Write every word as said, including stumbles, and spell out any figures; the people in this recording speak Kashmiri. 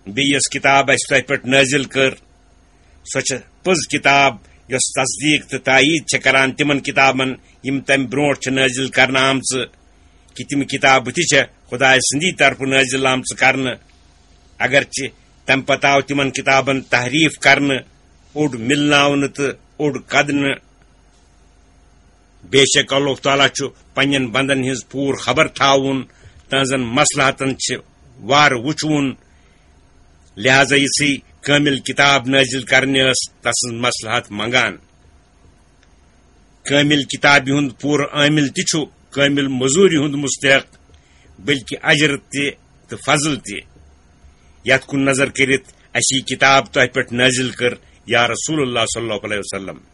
بیٚیہِ یۄس کتاب اسہِ تۄہہِ پٮ۪ٹھ نٲزِل کٔر، سۄ چھےٚ پٔز کتاب، یۄس تصدیق تہٕ تایید چھےٚ کران تِمن کتابن، یِم تمہِ برونٛٹھ چھِ نٲزِل کرنہٕ آمژٕ، کہِ تِم کتابہٕ تہِ چھےٚ خدایہِ سٕنٛدی طرفہٕ نٲزِل آمژٕ کرنہٕ۔ اگرچہِ تمہِ پتہٕ آو تِمن کتابن تحریف کرنہٕ، اوٚڑ مِلناونہٕ تہٕ اوٚڑ کدنہٕ۔ بے شک اللہ تعالیٰ چھُ پننٮ۪ن بندن ہٕنٛز پوٗرٕ خبر تھاوُن، تہنٛزن مصلحتن چھِ وارٕ وُچھوُن، لہذا یِژھٕے کٲمِل کتاب نٲزِل کرنہِ ٲس تسٕنٛز مصلحت منگان۔ کٲمِل کتابہِ ہُنٛد پوٗرٕ عٲمِل تہِ چھُ کٲمِل مٔزوٗرِ ہُنٛد مستحق، بلکہِ اجر تہِ تہٕ فضل تہِ۔ یتھ کُن نظر کٔرِتھ اسہِ یہِ کتاب تۄہہِ پٮ۪ٹھ نٲزِل کٔر، یا رسول اللہ صلی اللہ علیہ وسلم۔